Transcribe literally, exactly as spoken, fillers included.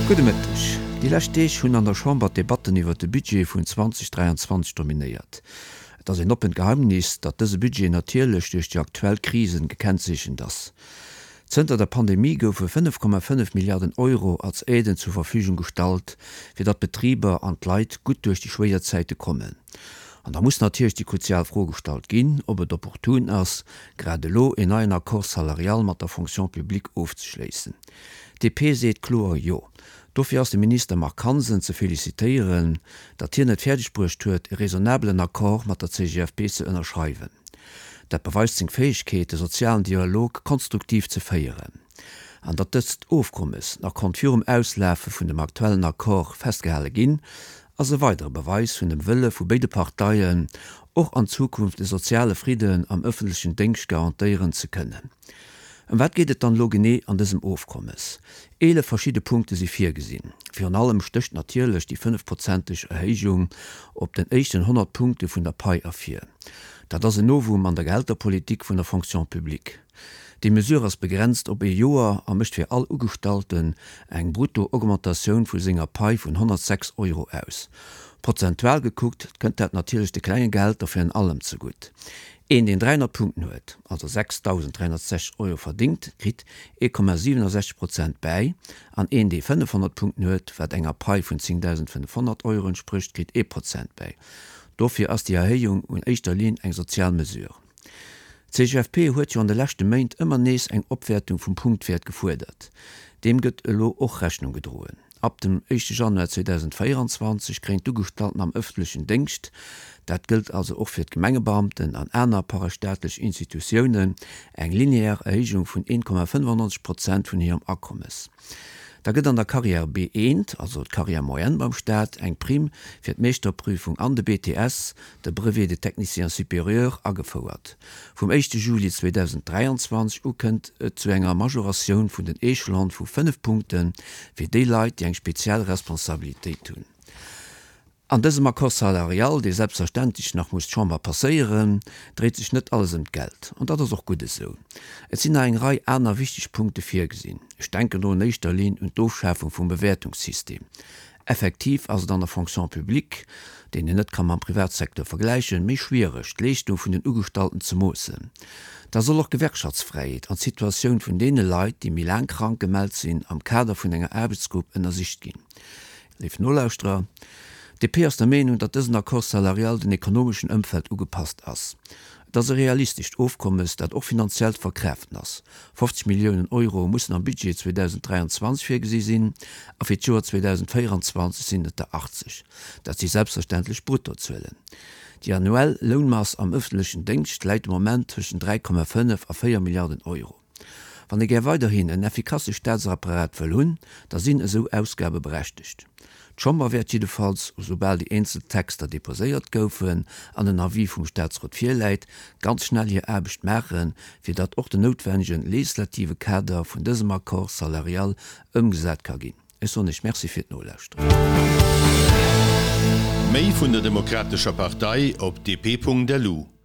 Gudde Mëtteg. Déi lescht Deeg hunn an der Chamber d'Debatten iwwer de Budget vun zweedausend dräianzwanzeg dominéiert. Et ass een oppent Geheimnis, datt dëse Budget natierlech duerch déi aktuell Krisen gekennzeechent ass. Zënter der Pandemie goufe fënnef Komma fënnef Milliarden Euro als Aiden zur Verfügung gestallt, fir datt d'Betriber an d'Leit gutt duerch déi schwéier Zäite kommen. An da muss natierlech déi kruzial Fro gestallt ginn, ob et opportun ass, grad elo een neien Accord salarial mat der Fonction publique ofzeschléissen. D P seet kloer Jo. Dofir ass de Minister Marc Hansen ze felicitéieren, datt hien et fäerdegbruecht huet, e raisonnabelen Accord mat der C G F P ze ënnerschreiwen. Dat beweist seng Fäegkeet, de sozialen Dialog konstruktiv ze féieren. An datt dëst Ofkommes nach konnt virum Auslafe vun dem aktuellen Accord festgehale ginn, ass e weidere Beweis vun dem Wëlle vu béide Parteien, och an Zukunft de soziale Fridden am ëffentlechen Déngscht garantéieren ze kënnen. Ëm wat geet et dann elo genee an dësem Ofkommes? Eelef verschidde Punkte si virgesinn. Virun allem stécht natierlech déi fënnefprozenteg Erhéijung op den éischten honnert Punkte vun der Pai ervir. Dat ass en Novum an der Gehälterpolitik vun der Fonction publique. Déi Mesure ass begrenzt op ee Joer a mécht fir all Ugestallten eng Brutto-Augmentatioun vu senger Pai vun honnertsechs Euro aus. Prozentual gekuckt kënnt dat natierlech de klenge Gehälter virun allem zegutt. Een, deen dräihonnert Punkten huet, also sechsdausend dräihonnertsechzeg Euro verdéngt, kritt ee Komma siwenundsechzeg Prozent bäi, an een, dee fënnefhonnert Punkten huet, wat enger Pai vun zéngdausendfënnefhonnert Euro entsprécht, kritt ee Prozent bäi. Dofir ass déi Erhéijung un éischter Linn eng sozial Mesure. D'C G F P huet jo an de leschte Méint ëmmer nees eng Opwäertung vum Punktwäert gefuerdert. Deem gëtt elo och Rechnung gedroen. Ab dem éischte Januar zweedausendvéieranzwanzeg kréien d'Ugestallten am ëffentlechen Déngscht, dat gëllt also och fir d'Gemengebeamten an aner parastaatlech Institutiounen, eng linear Erhéijung vun een Komma fënnefannonzeg Prozent vun hirem Akommes. Da gëtt an der Carrière B eent, also d'Carrière moyenne beim Staat, eng Primm fir d'Meeschterprüfung an de B T S, de Brevet de technicien supérieur, agefouert. Vum éischte Juli zweedausend dräianzwanzeg u kënnt et zu enger Majoratioun vun den Echelone vu fënnef Punkte fir déi Leit, déi eng speziell Responsabilitéit hunn. An dësem Accord salarial, dee selbstverständlech nach muss d'Chamber passéieren, dréit sech net alles ëm d'Geld. An dat ass och gutt esou. Et sinn nach eng Rei aner wichteg Punkte virgesinn. Ech denken do an éischter Linn un d'Ofschafung vum Bewäertungssystem. Effektiv ass et an der Fonction publique, deen een net ka mam Privatsecteur vergläichen, méi schwiereg, d'Leeschtung vun den Ugestallten ze moossen. Da soll och d'Gewerkschaftsfräiheet an d'Situatioun vun deene Leit, déi méi laang krank gemellt sinn, am Kader vun enger Aarbechtsgrupp ënnersicht ginn. Léif Nolauschterer, D P ass der Meenung, datt dësen Accord salarial den ekonomeschen Ëmfeld ugepasst ass. Et ass e realistescht Ofkommes, dat och finanziell ze verkraaften ass. Fofzeg Milliounen Euro mussen am Budget zweedausend dräianzwanzeg virgesi sinn a fir d'Joer zweedausend véieranzwanzeg sinn et der achtzeg. Dat si selbstverständlech Bruttozuelen. Déi annuell Lounmass am ëffentlechen Déngscht läit de Moment tëschent dräi Komma fënnef a véier Milliarden Euro. Wann ee gär weiderhin en effikasse Staatsapparat wëll hunn, da sinn esou Ausgabe berechtegt. D'Chamber wäert jiddefalls, esoubal déi eenzel Texter deposéiert goufen an en Avis vum Staatsrot virläit, ganz schnell hir Aarbecht maachen, fir datt och den noutwennege legislative Kader vun dësem Accord salarial ëmgesat ka ginn. Ech soen Iech Merci fir d'Nolauschteren. Méi vun der Demokratescher Partei op D P Punkt L U.